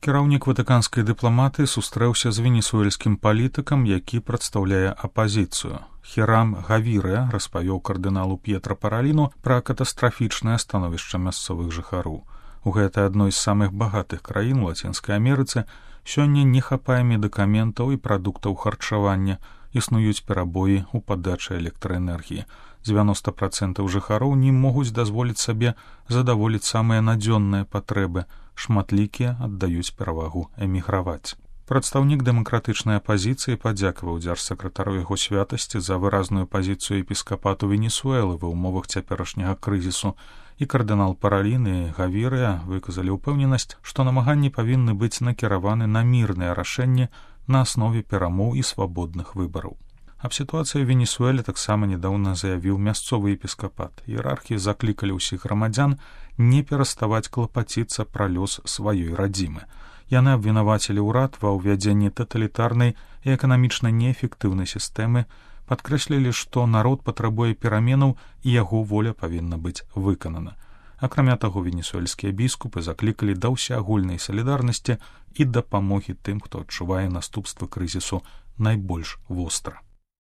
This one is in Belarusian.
Кіраўнік ватыканскай дыпламатыі сустрэўся з венесуэльскім палітыкам, які прадстаўляе апазіцыю. Хірам Гавіре распавёў кардыналу П'етра Параліну пра катастрафічнае становішча мясцовых жыхароў. У гэтай адной з самых багатых краін у Лацінскай Амерыцы сёння не хапае медыкаментаў і прадуктаў харчавання, існуюць перабоі ў падачы электраэнергіі. 90% жыхароў не могуць дазволіць сабе задаволіць самыя надзённыя патрэбы, шматлікія аддаюць перавагу эміграваць. Прадстаўнік дэмакратычнай апазіцыі падзякаваў дзяржсакратару яго святасці за выразную пазіцыю епіскапату Венесуэлы ва ўмовах цяперашняга крызісу, і кардынал Паралін і Гавірыя выказалі ўпэўненасць, што намаганні павінны быць накіраваны на мірнае рашэнне на аснове перамоў і свабодных выбараў. Аб сітуацыі ў Венесуэле таксама нядаўна заявіў мясцовы епіскапат. Іерархі заклікалі ўсіх грамадзян не пераставаць клапаціцца пра лёс сваёй радзімы. Яны абвінавацілі ўрад ва ўвядзенні таталітарнай і эканамічна неэфектыўнай сістэмы, падкрэслілі, што народ патрабуе пераменаў і яго воля павінна быць выканана. Акрамя таго, венесуэльскія біскупы заклікалі да ўсеагульнай салідарнасці і дапамогі тым, хто адчувае наступствы крызісу найбольш востра.